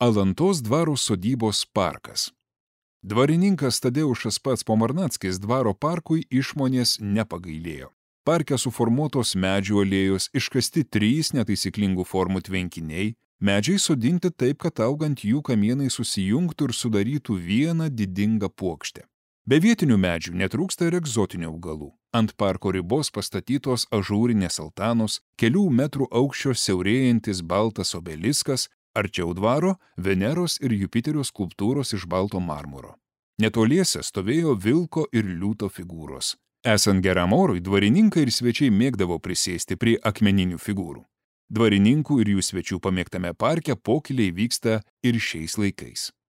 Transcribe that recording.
Alantos dvaro sodybos parkas. Dvarininkas Tadeušas pats Pomarnackis dvaro parkui išmonės nepagailėjo. Parke suformuotos medžių alėjos, iškasti 3 netaisyklingų formų tvenkiniai, medžiai sodinti taip, kad augant jų kamienai susijungtų ir sudarytų vieną didingą puokštę. Be vietinių medžių netrūksta ir egzotinių augalų. Ant parko ribos pastatytos ažūrinės altanos, kelių metrų aukščio siaurėjantis baltas obeliskas, arčiau dvaro Veneros ir Jupiterio skulptūros iš balto marmuro. Netoliese stovėjo vilko ir liūto figūros. Esant geram orui, dvarininkai ir svečiai mėgdavo prisėsti prie akmeninių figūrų. Dvarininkų ir jų svečių pamėgtame parke pokyliai vyksta ir šiais laikais.